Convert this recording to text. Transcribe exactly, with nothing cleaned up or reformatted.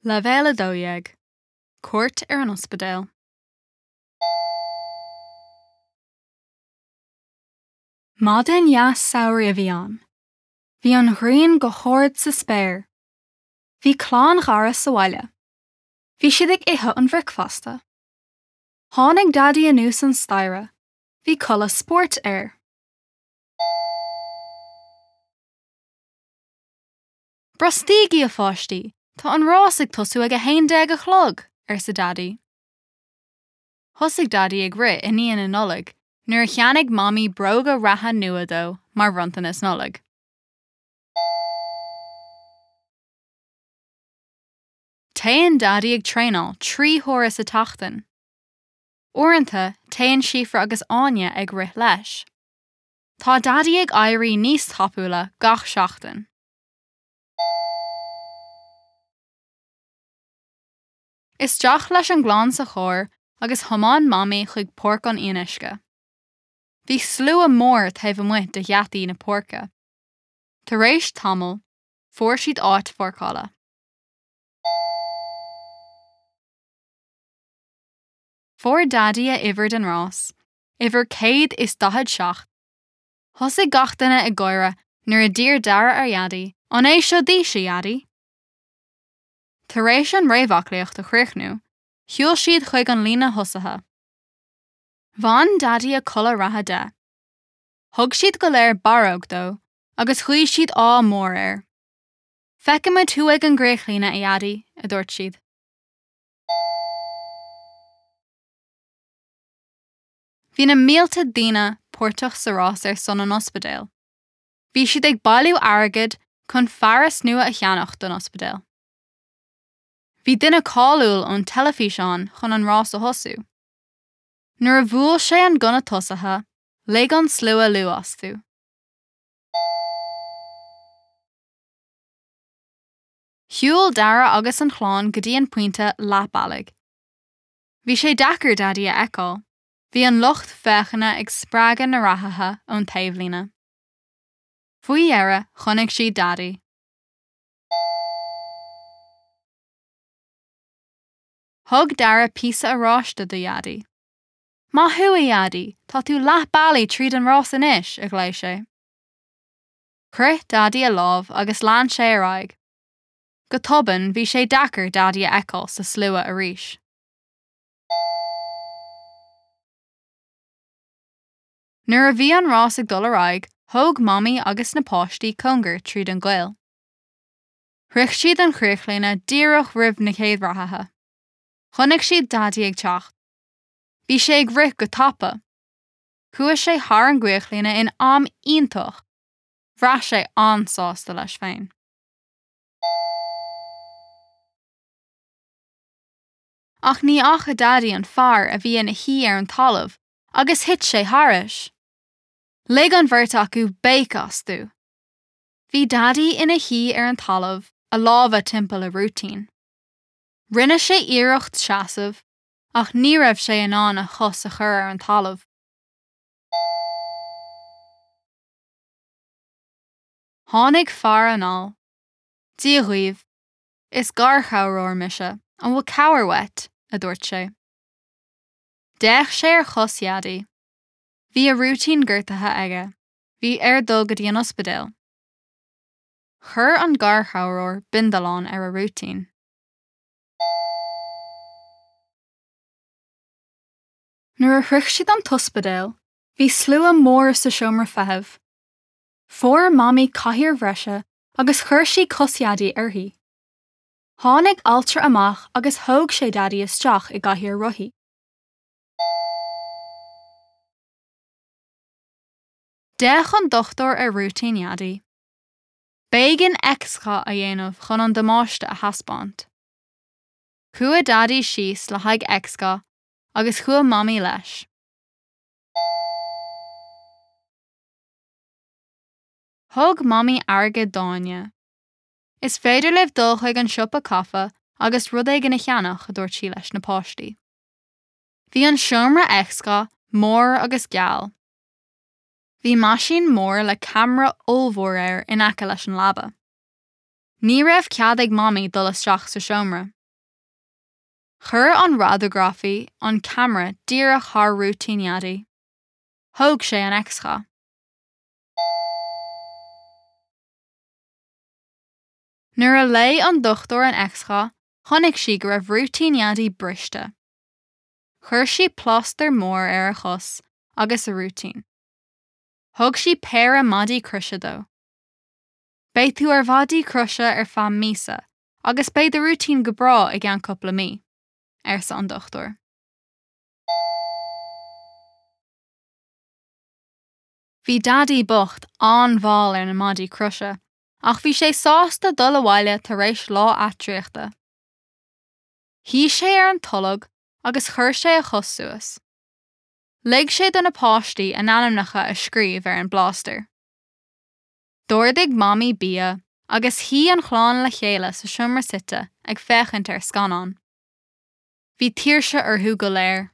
Leibhéal a dó dhéag, Cuairt ar an Ospidéal. Maidin dheas samhraidh a bhí ann. Bhí an ghrian go hard sa spéir. Bhí clann Dhara sa bhaile. Bhí siad ag ithe an bhricfeasta. Tháinig Daidí anuas an staighre. Bhí culaith spóirt air. Brostaígí, a pháistí, tá an rás ag tosú ag a haon déag a chlog, arsa Daidí. Thosaigh Daidí ag rith i ndiaidh na Nollag nuair a cheannaigh Mamaí bróga reatha nua dó mar bhronntanas Nollag. Téann Daidí ag traenáil trí huaire sa tseachtain. Uaireanta, téann Síofra agus Áine ag rith leis. Tá Daidí ag éirí níos tapúla gach seachtain. Isteach leis an gclann sa charr agus thiomáin Mamaí chuig Páirc an Fhionnuisce. Bhí slua mór taobh amuigh de gheataí na páirce. Tar éis tamaill, fuair siad áit pháirceála. Fuair Daidí a uimhir don rás, uimhir céad is daichead seacht. Thosaigh gach duine ag gáire nuair a d'iarr Dara ar Dhaidí, An é seo d'aois, a Dhaidí? Tar éis an réamhaclaíocht a chríochnú, shiúil siad chuig an líne thosaithe. Bhain Daidí a chulaith reatha de. Thug siad go léir barróg dó agus ghuigh siad ádh mór air. Feicfimid thú ag an gcríochlíne, a Dhaidí, a dúirt siad. Bhí na mílte daoine páirteach sa rás ar son an ospidéil. Bhí siad ag bailiú airgid chun fearas nua a cheannach don ospidéal. Bhí duine cáiliúil ón teilifís ann chun an rás a thosú. Nuair a bhuail sé an gunna tosaithe, lig an slua liú astu. Shiúil Dara agus an chlann go dtí an pointe leath bealaigh. Bhí sé deacair Daidí a fheiceáil. Bhí an lucht féachana ag spreagadh na reathaithe ón taobhlíne. Faoi dheireadh, chonaic siad Daidí. Thug Dara píosa oráiste do Dhaidí. Maith thú, a Dhaidí, tá tú leath bealaigh tríd an rás anois, a ghlaoigh sé. Chroith Daidí a lámh agus lean sé ar aghaidh. Go tobann bhí sé deacair Daidí a fheiceáil sa slua arís. Nuair a bhí an rás ag dul ar aghaidh, thóg Mamaí agus na páistí cóngar tríd an gcoill. Shroich siad an chríochlíne díreach roimh na chéad reathaithe. Chonaic siad Daidí ag teacht. Bhí sé ag rith go tapa. Chuaigh sé thar an gcríochlíne in am iontach. Bhraith sé an-sásta leis féin. Ach ní fhaca Daidí an fear a bhí ina shuí ar an talamh agus thit sé thairis. Lig an bheirt acu béic astu. Bhí Daidí ina shuí ar an talamh, a lámha timpeall a rúitín. Rinne sé iarracht seasamh, ach ní raibh sé in ann a chos a chur ar an talamh. Tháinig fear anall. Dia dhaoibh. Is garchabhróir mise, an bhfuil cabhair uait? a dúirt sé. D'fhéach sé ar chos Dhaidí. Bhí a rúitín gortaithe aige. Bhí air dul go dtí an ospidéal. Chuir an garchabhróir bindealán ar a rúitín. Nuair a shroich siad an t-ospidéal, bhí slua mór sa seomra feithimh. Fuair Mamaí cathaoir bhreise agus chuir sí cos Dhaidí uirthi. Tháinig altra amach agus thóg sé Daidí isteach i gcathaoir rothaí. D'fhéach an dochtúir ar rúitín Dhaidí. B'éigean x-gha a dhéanamh chun an damáiste a thaispeáint. Chuaigh Daidí síos le haghaidh x-gha agus chuaigh Mamaí leis. Thug Mamaí airgead d'Áine. Is féidir libh dul chuig an siopa caife agus rud éigin a cheannach, a dúirt sí leis na páistí. Bhí an seomra x-gha mór agus geal. Bhí meaisín mór le ceamara ollmhór air in aice leis an leaba. Ní raibh cead ag Mamaí dul isteach sa seomra. Chuir an radagrafaí an ceamara díreach thar rúitín Dhaidí. Thóg sé an x-gha. Nuair a léigh an dochtúir an x-gha, chonaic sí go raibh rúitín Dhaidí briste. Chuir sí plástar mór ar a chos agus a rúitín. Thug sí péire maidí croise dó. Beidh tú ar mhaidí croise ar feadh míosa, agus beidh do rúitín go breá i gceann cúpla mí, arsa an dochtúir. Bhí Daidí bocht an-mhall ar na maidí croise, ach bhí sé sásta dul abhaile tar éis lá eachtraíochta. Shuigh sé ar an tolg agus chuir sé a chos suas. Lig sé do na páistí a n-ainmneacha a scríobh ar an bplástar. D'ordaigh Mamaí bia agus shuigh an chlann le chéile sa seomra suite ag féachaint ar scannán. Bhí tuirse orthu go léir.